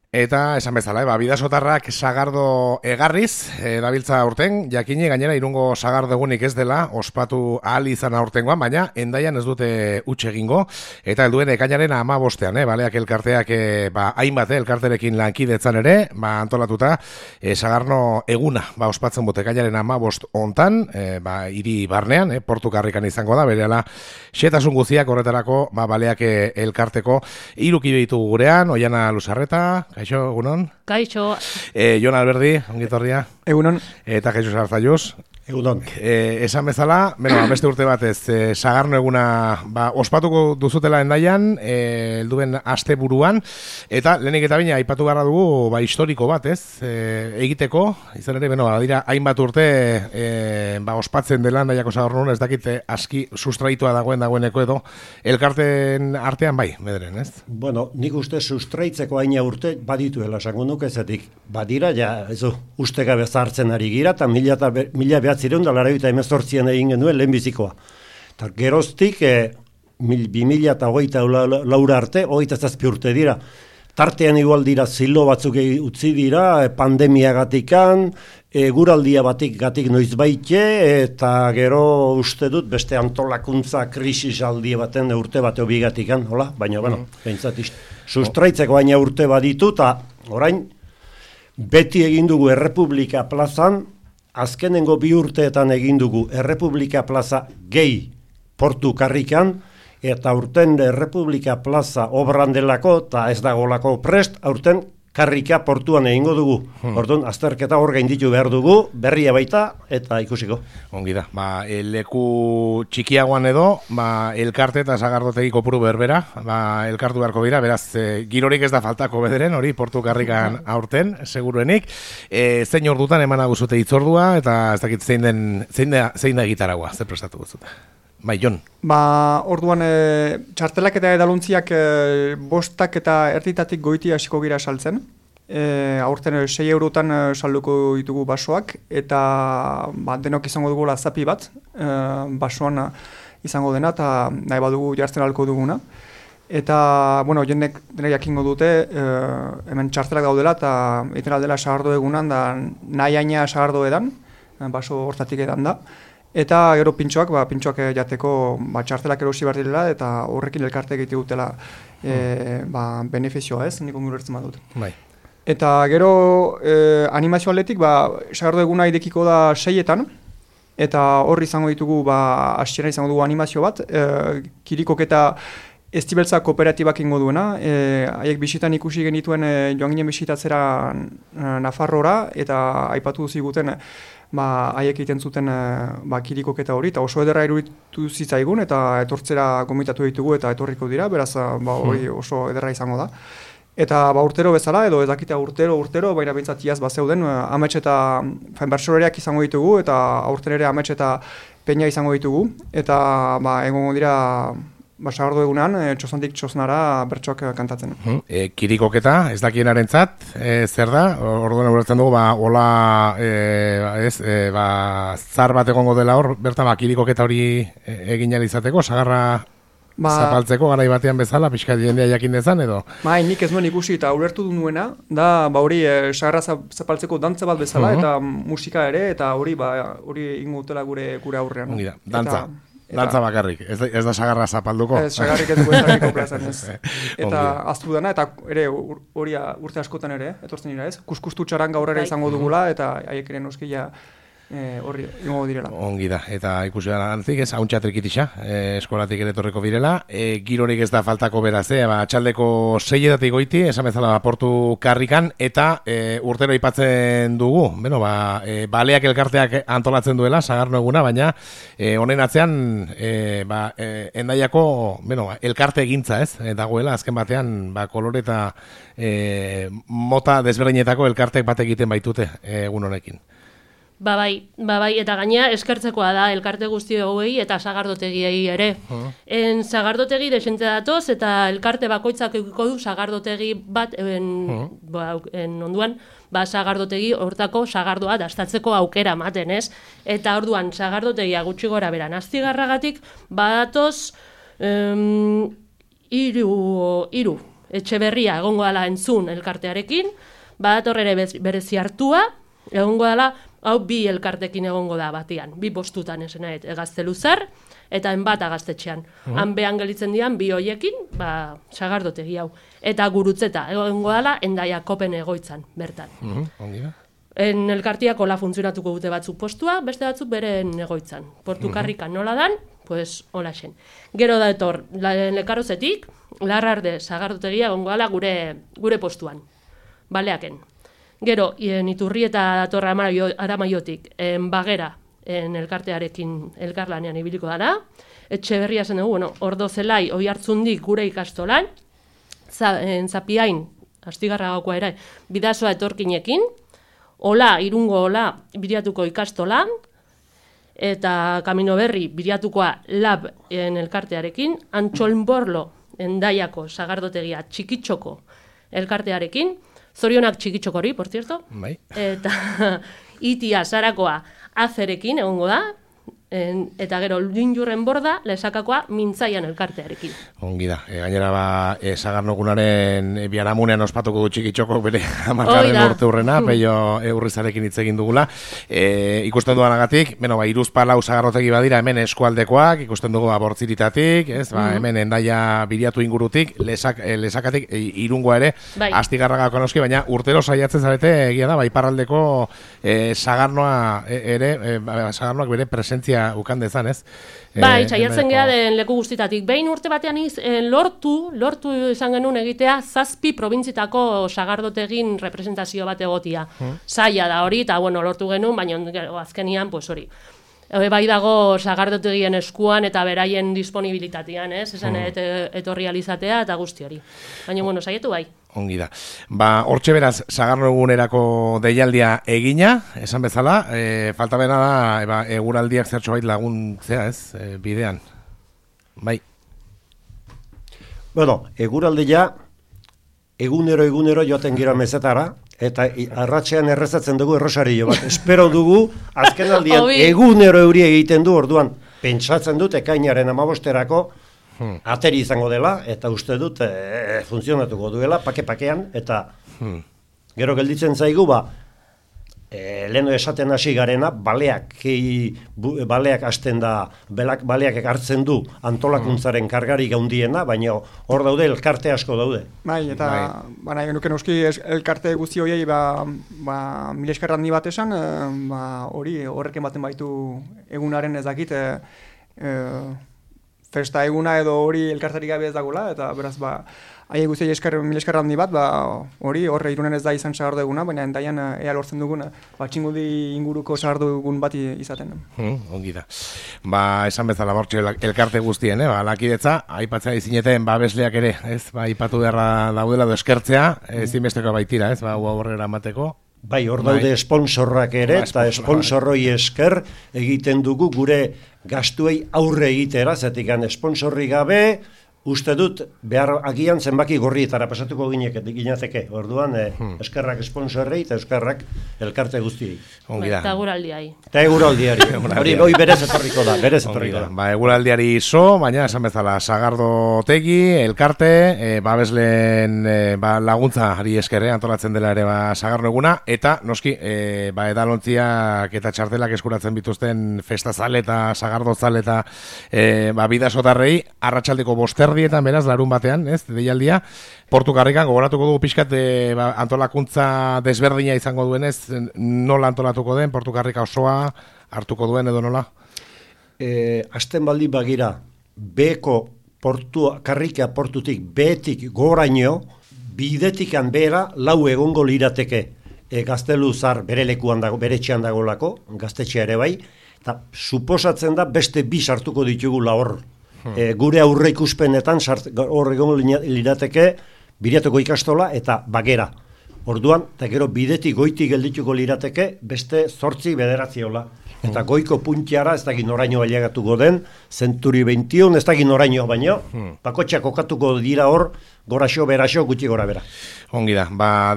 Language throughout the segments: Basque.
Eta esan bezala, bidasotarrak sagardo egarriz, dabiltza aurten, jakine gainera irungo sagardo egunik ez dela, ospatu ahal izan aurtengoan, baina endaian ez dute utxe egingo, eta helduen ekainaren 15ean, baleak elkarteak, hainbat elkarterekin lankidetzan ere, antolatuta, sagarno eguna, ospatzen dute ekainaren 15 hontan, hiri barnean, portu karrikan izango da, berehala, xetasun guztiak horretarako, baleak elkarteko, irukide ditugu gurean, Oiana Luzarreta, kaixo, egunon? Kaixo. Jon Alberdi, ongitorria. Egunon. Eta Jesus Arzaiuz. Egunon. Esan bezala, beste urte batez, sagarno eguna ospatuko duzutela endaian, helduen asteburuan, eta lehenik eta bina aipatu beharra dugu historiko bat, egiteko, izan ere, dira, hainbat urte ospatzen dela endaiako sagarno, ez dakit aski sustraitua dagoeneko edo, elkarten artean bederen, ez? Bueno, nik uste sustraitzeko haina urte badituela, esango nuke zetik, badira, uste gabe zartzen ari gira, eta mila behatzireun da laraita emezortzien egin genuen lehenbizikoa. Eta geroztik, 2008 laura arte, 27 urte dira. Tartean igual dira zilo batzuk utzi dira, pandemiagatikan, guraldia gatik noiz baite, eta gero uste dut beste antolakuntza krisisaldi baten urte bateo bigatikan, hola? Baina, behintzat sustraitzeko baina urte baditu, eta orain, beti egin dugu Errepublika plazan, azkenengo 2 urteetan egin dugu Errepublika plaza gehi portu karrikan, eta aurten Errepublika plaza obran delako, eta ez dagolako prest, aurten karrika portuan egingo dugu. Orduan, azterketa hor gainditu behar dugu, berria baita, eta ikusiko. Ongi da, leku txikiagoan edo, elkarte eta sagardotegi kopuru berbera, elkartu beharko dira, beraz, girorik ez da faltako bederen, hori, portu karrikan aurten, seguruenik. Zein ordutan eman aguzute itzordua, eta ez dakit zein da gitaragua, zer prestatu guztuta? Jon. Orduan, txartelak eta edaluntziak 5 eta erditatik goiti hasiko gira saltzen. Aurten 6 eurotan salduko ditugu basoak, eta denok izango dugu zapi bat, basoan izango dena, eta nahi badugu jartzen alko duguna. Eta, jendek jakingo dute, hemen txartelak daudela, eta egiten aldela sagardo egunan, da nahi aina sagardo edan, baso hortatik edan da. Eta gero pintxoak jateko txartelak erosi behar direla, eta horrekin elkarte egite dutela benefizioa, ez? Nik ongur ertzen badut. Bai. Eta gero animazio atletik, sagardo eguna idekiko da 6etan, eta horri izango ditugu, hasiera izango dugu animazio bat, kirikok eta Estibeltza kooperatibak ingo duena, haiek bisitan ikusi genituen joan ginen bisitatzera Nafarrora, eta aipatu ziguten haiek egiten zuten kirikoketa hori, eta oso ederra iruditu zitzaigun, eta etortzera gomitatu ditugu eta etorriko dira, beraz hori oso ederra izango da. Eta urtero bezala, edo ez dakita urtero, baina bintzat iaz zeuden, amets eta bertsolariak izango ditugu, eta aurten ere amets eta peina izango ditugu, eta egongo dira sagardo egunean, txosantik txosnara bertsoak kantatzen. Kirikoketa, ez dakienarentzat, zer da? Orduan ulertzen dugu, zar bat egongo dela hor, bertan kirikoketa hori egin izateko, sagarra zapaltzeko garai batean bezala, pixka jendea jakin dezan edo? Nik ez nuen ikusi eta ulertu du nuena, da hori sagarra zapaltzeko dantza bat bezala, eta musika ere, eta hori ingo dutela gure aurrean. Ongi da, dantza bakarrik, ez da sagarra zapalduko? Ez, sagarrik ez dugu ezarriko plazan ez. Eta aztu dena, eta ere hori urte askotan ere, etortzen dira ez, kuskustu txaranga horrela izango dugula, eta haiek ere noskila horri ingo direla. Ongi da, eta ikusi da antzik ez, hauntxa trikitisa, eskolatik ere torreko birela, girorik ez da faltako beraz, txaldeko 6 goiti, esan bezala portu karrikan, eta urtero aipatzen dugu, baleak elkarteak antolatzen duela, sagarno eguna, baina honen atzean, endaiako, elkarte egintza ez, dagoela, azken batean, kolore eta mota desberdinetako elkartek bat egiten baitute egun honekin. Bai, eta gainea eskertzekoa da elkarte guzti hauei eta sagardotegiei ere. Sagardotegi desente datoz eta elkarte bakoitzak edukiko du sagardotegi bat onduan, sagardotegi hortako sagardoa dastatzeko aukera ematen, ez? Eta orduan sagardotegia gutxi gora beran Astigarragatik badatoz 3 Etxeberria egongo dela entzun elkartearekin, badator ere berezi hartua, egongo dela, hau bi elkartekin egongo da batian, bi postutan esena, Gazteluzar, eta enbat Gaztetxean. Han behan gelitzen dian, bi hoiekin, sagardotegi hau. Eta Gurutzeta, egongo dela, Hendaia Kopen egoitzan, bertan. Ongi da. Elkartiako la funtzionatuko dute batzuk postua, beste batzuk beren egoitzan. Portukarrikan nola dan, pues hola xen. Gero da etor, Lekarozetik, Larrarde sagardotegia egongo dela gure postuan. Baleaken. Gero, Iturri eta datorra Aramaiotik, Bagera, elkartearekin elkarlanean ibiliko dara. Etxeberria zen dugu, Ordozelai, Oihartzundik gure ikastolan. Zapiain, Astigarra gakoa ere, Bidasoa etorkinekin. Ola, Irungo Ola, Biriatuko ikastolan. Eta Kamino Berri, Biriatukoa Lab elkartearekin. Antxolnborlo, Hendaiako sagardotegia Txikitxoko elkartearekin. Zorionak Txikitxokori, por cierto. Bai. Eta Itia Zarakoa Azerekin egongo da. Eta gero Linjurren Borda Lesakakoa Mintzaian elkartearekin. Ongi da. Gainera Sagarnogunaren biharamunean ospatuko du Txikitxoko bere 10. urte urrena, Peio Urrizarekin hitz egin dugula. Ikusten duanagatik, Hiruzpalau sagarrotegi badira hemen eskualdekoak, ikusten dugu Bortziritatik, hemen Hendaia Biriatu ingurutik, Lesakatik, Irungoa ere, bai. Astigarragako noski, baina urtero saiatzen zarete egia da, iparraldeko Sagarnoa ere, Sagarnoak bere presentzia ukan dezan, ez? Bai, saiatzen geha den leku guztitatik. Behin urte batean lortu izan genuen egitea 7 probintzitako sagardotegin representazio bat egotia. Zaila da hori, eta lortu genuen, baina azkenian, pues hori. Bai dago sagardotegien eskuan eta beraien disponibilitatean, ez? Esan etorri alizatea eta guzti hori. Baina, saietu bai. Ongi da. Hortxe beraz, Sagarno egunerako deialdia egina, esan bezala, falta bena da, eguraldiak zertxo bait laguntzea, ez, bidean. Bai. Bueno, eguraldia egunero joaten gira mezetara, eta arratsean errezatzen dugu errosario bat. Espero dugu, azken aldian egunero euri egiten du, orduan, pentsatzen dut ekainaren 15erako, ateri izango dela, eta uste dut funtzionatuko duela, pake-pakean, eta gero gelditzen zaigu, leheno esaten hasi garena, baleak hasten da, baleak hartzen du antolakuntzaren kargarik handiena, baina hor daude, elkarte asko daude. Bai, eta nahi genuken euski elkarte guzti horiei, mila esker handi bat esan, hori horreken baten baitu egunaren ez dakit, festa eguna edo hori elkartarik gabe ez dagoela, eta beraz, aie guztiei mila esker handi bat, hori horre Irunen ez da izan sagardo eguna, baina Hendaian ea lortzen dugun, Txingudi inguruko sagardo egun bat izaten. Ongi da. Esan bezala bortxe elkarte guztien, lakidetza, aipatzea izineten babesleak ere, ez, aipatu beharra daudela edo eskertzea, ezinbesteko baitira, ez, horrera emateko. Bai, hor daude sponsorrak ere, eta sponsorroi esker egiten dugu gure gastuei aurre egitera, zetikan sponsorri gabe, uste dut, behar agian zenbaki gorrietara pasatuko ginateke. Orduan, eskerrak sponsorrei eta eskerrak elkarte guztiei. Eta eguraldiai. Eta eguraldiari. Hori berez etorriko da, eguraldiari iso, baina esan bezala, sagardotegi, elkarte, babesleen laguntza ari eskerre, antolatzen dela ere sagarno eguna, eta noski, edalontziak eta txartelak eskuratzen bituzten festazale eta sagardozale eta bidasotarrei, arratsaldeko bosterdietan, beraz, larun batean, ez, deialdia, Portukarrikan gogoratuko dugu pixkat antolakuntza desberdina izango duenez, nola antolatuko den, Portukarrika osoa hartuko duen edo nola? Asten baldi bagira, beko karrika portutik behetik goraino, bidetikan bera lau egongo lirateke. Gazteluzar bere lekuan dago, bere etxean dagolako, gaztetxea ere bai, eta suposatzen da beste bi sartuko ditugula hor. Gure aurre ikuspenetan hor egongo lirateke Biriatuko ikastola eta Bagera. Orduan, eta gero bidetik goitik geldituko lirateke beste 8 bederatziola. Eta goiko puntiara ez dakit noraino ailegatuko den, Century 21 ez dakit noraino baino, bakotxak kokatuko dira hor, goraxo, beraxo, gutxi gora bera. Ongi da,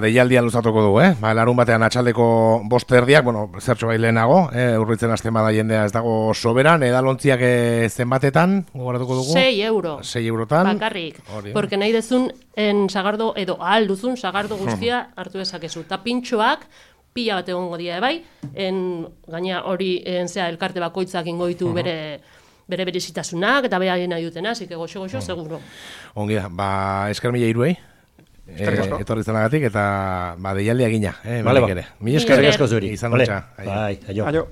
deialdia luzatuko du, larun batean atxaldeko 5 erdiak, zertxo bai lehenago, urritzen hasten bada jendea ez dago soberan, edalontziak zenbatetan, gogoratuko dugu? 6 euro. 6 eurotan. Bakarrik, porque nahi dezun sagardo, edo ahal duzun sagardo guztia hartu dezakezu. Ta pintxoak, pila bat egongo dira bai, gaina hori elkarte bakoitzak ingo ditu bere berezitasunak eta bere nahi dutena, así que goxo, seguro. Ongi da, esker mila iruei. Etorri zenagatik eta deialdia gina. Vale, Mila esker. Asko zuri. Izan dutxa. Bai, aio.